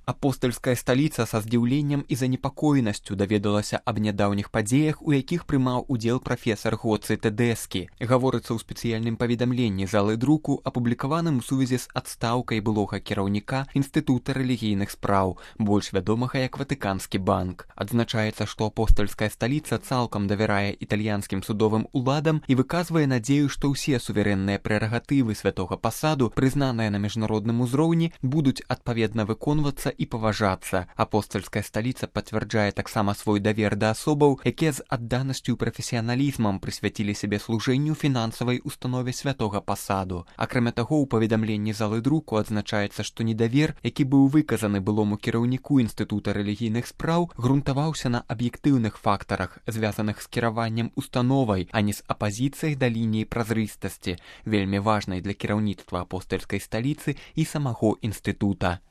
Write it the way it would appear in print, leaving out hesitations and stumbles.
Апостальская сталіца са здзіўленнем і занепакоенасцю даведалася аб нядаўніх падзеях, у якіх прымаў удзел прафесар Гоцы Тэдэскі. Гаворыцца ў спецыяльным паведамленні залы друку, апублікаваным у сувязі з адстаўкай былога кіраўніка Інстытута рэлігійных спраў, больш вядомага як Ватыканскі банк. Адзначаецца, што апостальская сталіца цалкам давярае італьянскім судовым уладам і выказвае надзею, што ўсе суверэнныя прэрагатывы святога пасаду, прызнаныя на міжнародным узроўні, будуць адпаведна выконвацца і паважацца. Апостальская сталіца пацвярджае таксама свой давер да асобаў, якія з адданасцю і прафесіяналізмам прысвяцілі сябе служэнню фінансавай установе святога пасаду. Акрамя таго, у паведамленні залы друку адзначаецца, што недавер, які быў выказаны былому кіраўніку Інстытута рэлігійных спраў, грунтаваўся на аб'ектыўных фактарах, звязаных з кіраваннем установай, а не з апазіцыяй да лініі празрыстасці, вельмі важнай для кіраўніцтва апостальскай сталіцы і самого інстытута.